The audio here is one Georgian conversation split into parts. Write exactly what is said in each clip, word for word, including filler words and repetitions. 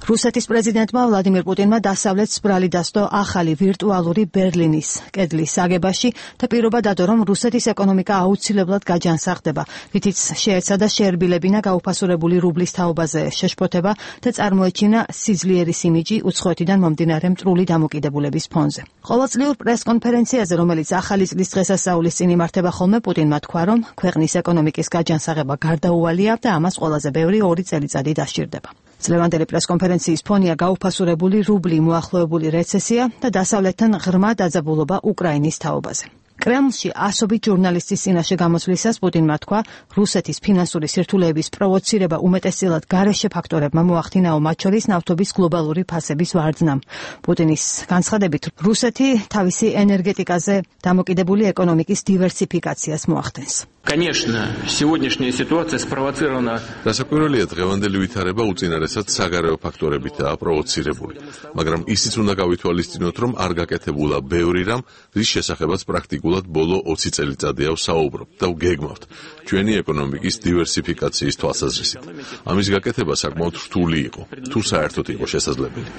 რუსეთის პრეზიდენტმა ვლადიმირ პუტინმა დასავლეთს ბრალი დასდო ახალი ვირტუალური ბერლინის კედლის აგებაში და პირობა დადო, რომ რუსეთის ეკონომიკა აუცილებლად გაჯანსაღდება, რითიც შეეცადა შეერბილებინა გაუფასურებული რუბლის თაობაზე შეშფოთება და წარმოეჩინა სიძლიერის იმიჯი უცხოეთიდან მომდინარე მტრული დამოკიდებულების ფონზე. ყოველწლიურ პრესკონფერენციაზე, რომელიც ახალი წლის დღესასწაულის წინ იმართება ხოლმე, პუტინმა თქვა, რომ ქვეყნის ეკონომიკის გაჯანსაღება გარდაუვალია და ამას ყველაზე ბევრი ორი წელიწადი დასჭირდება. წლევანდელი პრესკონფერენციის ფონია გაუფასურებული რუბლი, მოახლოებული რეცესია და დასავლეთთან ღრმა დაძაბულობა უკრაინის თაობაზე. კრემლში ასობით ჟურნალისტის წინაშე გამოსვლისას პუტინმა თქვა, რუსეთის ფინანსური სირთულეების პროვოცირება უმეტესწილად გარეშე ფაქტორებმა მოახდინაო, მათ შორის ნავთობის გლობალური ფასების ვარდნამ. პუტინის განცხადებით, რუსეთი თავისი ენერგეტიკაზე დამოკიდებული ეკონომიკის დივერსიფიკაციას მოახდენს. Конечно, сегодняшняя ситуация спровоцирована. Დასაკვირველია, დღევანდელი ვითარება უწინარესად საგარეო ფაქტორებითაა პროვოცირებული, მაგრამ ისიც უნდა გავითვალისწინოთ, რომ არ გაკეთებულა ბევრი რამ, რის შესახებაც პრაქტიკულად ბოლო ოცი წელიწადია ვსაუბრობთ და ვგეგმავთ ჩვენი ეკონომიკის დივერსიფიკაციის თვალსაზრისით. ამის გაკეთება საკმაოდ რთული იყო, თუ საერთოდ იყო შესაძლებელი.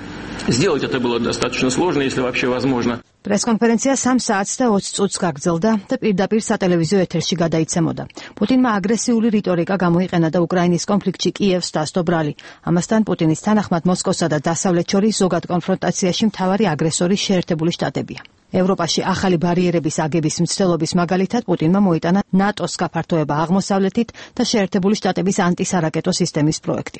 Сделать это было достаточно сложно, если вообще возможно. პრესკონფერენცია სამ საათს და ოცი წუთს გაგრძელდა და პირდაპირ სატელევიზიო ეთერში გადაიცემოდა. პუტინმა აგრესიული რიტორიკა გამოიყენა და უკრაინის კონფლიქტში კიევს დასდო ბრალი. ამასთან პუტინის თანახმად მოსკოვსა და დასავლეთ შორის ზოგად კონფრონტაციაში მთავარი აგრესორი შეერთებული შტატებია. ევროპაში ახალი ბარიერების აგების მცდელობის მაგალითად პუტინმა მოიტანა ნატოს გაფართოება აღმოსავლეთით და შეერთებული შტატების ანტისარაკეტო სისტემის პროექტი.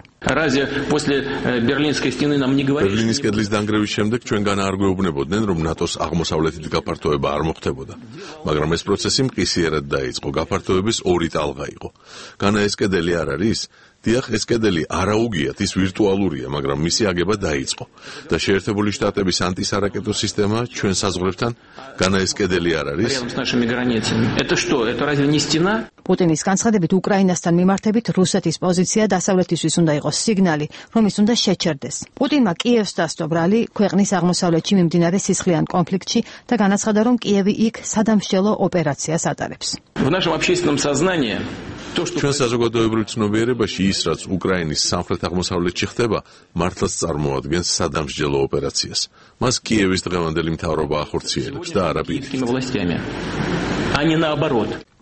ბერლინის კედლის დანგრევის შემდეგ ჩვენგან არ გვეუბნებოდნენ, რომ ნატოს აღმოსავლეთით გაფართოება არ მოხდებოდა, მაგრამ ეს პროცესი მყისიერად დაიწყო. გაფართოების ორი ტალღა იყო. განა ეს კედელი არ არის? დიახ, ეს კედელი არაუგიათ, ის ვირტუალურია, მაგრამ მისი აგება დაიწყო. და შეერთებული შტატების ანტისარაკეტო სისტემა ჩვენ საზღვრებთან, განა ეს კედელი არ არის? პუტინის განცხადებით, უკრაინასთან მიმართებით რუსეთის პოზიცია დასავლეთისთვის უნდა იყოს სიგნალი, რომ ის უნდა შეჩერდეს. პუტინმა კიევს დასდო ბრალი ქვეყნის აღმოსავლეთში მიმდინარე სისხლიან კონფლიქტში და განაცხადა, რომ კიევი იქ სადამსჯელო ოპერაციას ატარებს. ჩვენ საზოგადოებრივ ცნობიერებაში ის, რაც უკრაინის სამხრეთ-აღმოსავლეთში ხდება, მართლაც წარმოადგენს სადამსჯელო ოპერაციას. მას კიევის დღევანდელი მთავრობა ახორციელებს და არა პირიქით.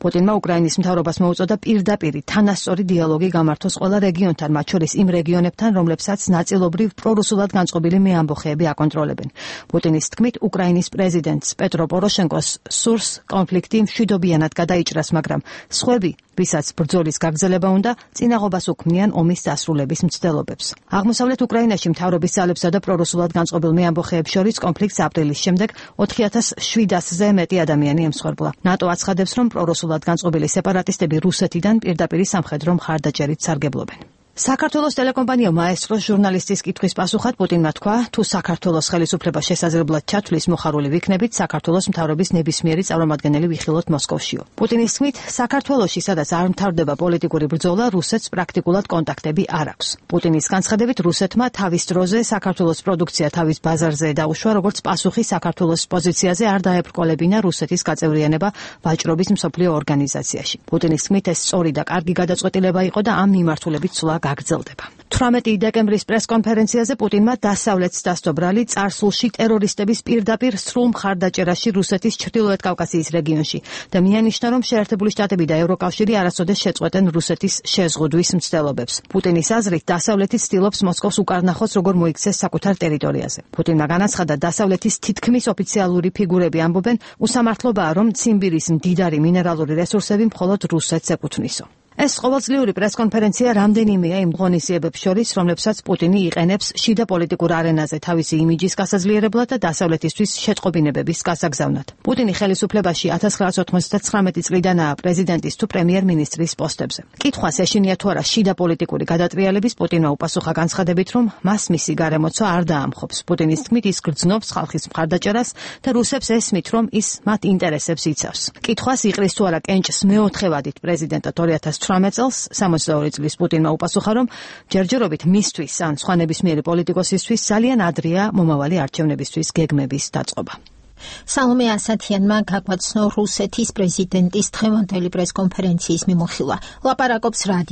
პუტინმა უკრაინის მთავრობას მოუწოდა პირდაპირ თანასწორი დიალოგი გამართოს ყველა რეგიონთან, მათ შორის იმ რეგიონებთან, რომლებსაც ნაწილობრივ პრორუსულად განწყობილი მეამბოხეები აკონტროლებენ. პუტინის თქმით, უკრაინის პრეზიდენტს პეტრო პოროშენკოს სურს კონფლიქტი მშვიდობიანად გადაიჭრას, მაგრამ სხვები, ვისაც ბრძოლის გაგრძელება უნდა, წინაღობას უქმნიან ომის დასრულების მცდელობებს. აღმოსავლეთ უკრაინაში მთავრობის ძალებსა და პრორუსულად განწყობილ მეამბოხეებს შორის კონფლიქტს აპრილის შემდეგ ოთხი ათას შვიდასზე მეტი ადამიანი ემსხვერპლა. ნატო აცხადებს, რომ პრორუსულად განწყობილი სეპარატისტები რუსეთიდან პირდაპირ სამხედრო მხარდაჭერით სარგებლობენ. საქართველოს ტელეკომპანია მაესტროს ჟურნალისტის კითხვის პასუხად პუტინმა თქვა, თუ საქართველოს ხელისუფლება შესაძლებლად ჩათვლის, მოხარული ვიქნებით საქართველოს მთავრობის ნებისმიერი წარმომადგენელი ვიხილოთ მოსკოვშიო. პუტინის თქმით, საქართველოში, სადაც არ მთავრდება პოლიტიკური ბრძოლა, რუსეთს პრაქტიკულად კონტაქტები არ აქვს. პუტინის განცხადებით, რუსეთმა თავის დროზე საქართველოს პროდუქცია თავის ბაზარზე დაუშვა, როგორც პასუხი საქართველოს პოზიციაზე არ დაებრკოლებინა რუსეთის გაწევრიანება ვაჭრობის მსოფლიო ორგანიზაციაში. პუტინის თქმით, ეს სწორი და კარგი გადაწყვეტილება იყო და ამ მიმართულებით სულა გაგრძელდება. თვრამეტი დეკემბრის პრესკონფერენციაზე პუტინმა დასავლეთს დასდო ბრალი წარსულში ტერორისტების პირდაპირ სრულ მხარდაჭერაში რუსეთის ჩრდილოეთ კავკასიის რეგიონში და მიანიშნა, რომ შეერთებული შტატები და ევროკავშირი არასოდეს შეწყვეტენ რუსეთის შეზღუდვის მცდელობებს. პუტინის აზრით, დასავლეთი ცდილობს მოსკოვს უკარნახოს, როგორ მოიქცეს საკუთარ ტერიტორიაზე. პუტინმა განაცხადა, დასავლეთის თითქმის ოფიციალური ფიგურები ამბობენ, უსამართლობაა, რომ ციმბირის მდიდარი მინერალური რესურსები მხოლოდ რუსეთს ეკუთვნისო. ეს ყოველწლიური პრესკონფერენცია რამდენიმეა იმ ღონისძიებებს შორის, რომლებსაც პუტინი იყენებს შიდა პოლიტიკურ არენაზე თავისი იმიჯის გასაძლიერებლად და დასავლეთისთვის შეტყობინებების გასაგზავნად. პუტინი ხელისუფლებაში ათას ცხრაასი ოცდათვრამეტი წლიდანაა პრეზიდენტის თუ პრემიერ-მინისტრის პოსტებზე. კითხვას ეშინია თუ არა შიდა პოლიტიკური გადატრიალების, პუტინმა უპასუხა განცხადებით, რომ მას მისი გარემოცვა არ დაამხობს. პუტინის თქმით, ის გრძნობს ხალხის მხარდაჭერას და რუსებს ესმით, რომ ის მათ ინტერესებს იცავს. კითხვას იყრის თუ არა კენჭს მეოთხე ვადით პრეზიდენტად ორი ათას თვრამეტ წელს სამოცდაორი წლის პუტინმა უპასუხა, რომ ჯერჯერობით მისთვის ან სხვა ნებისმიერი პოლიტიკოსისთვის ძალიან ადრეა მომავალი არჩევნებისთვის გეგმების დაწყობა. სალომე ასათიანმა გაგვაცნო რუსეთის პრეზიდენტის დღევანდელი პრესკონფერენციის მიმოხილვა. ლაპარაკობს რადიო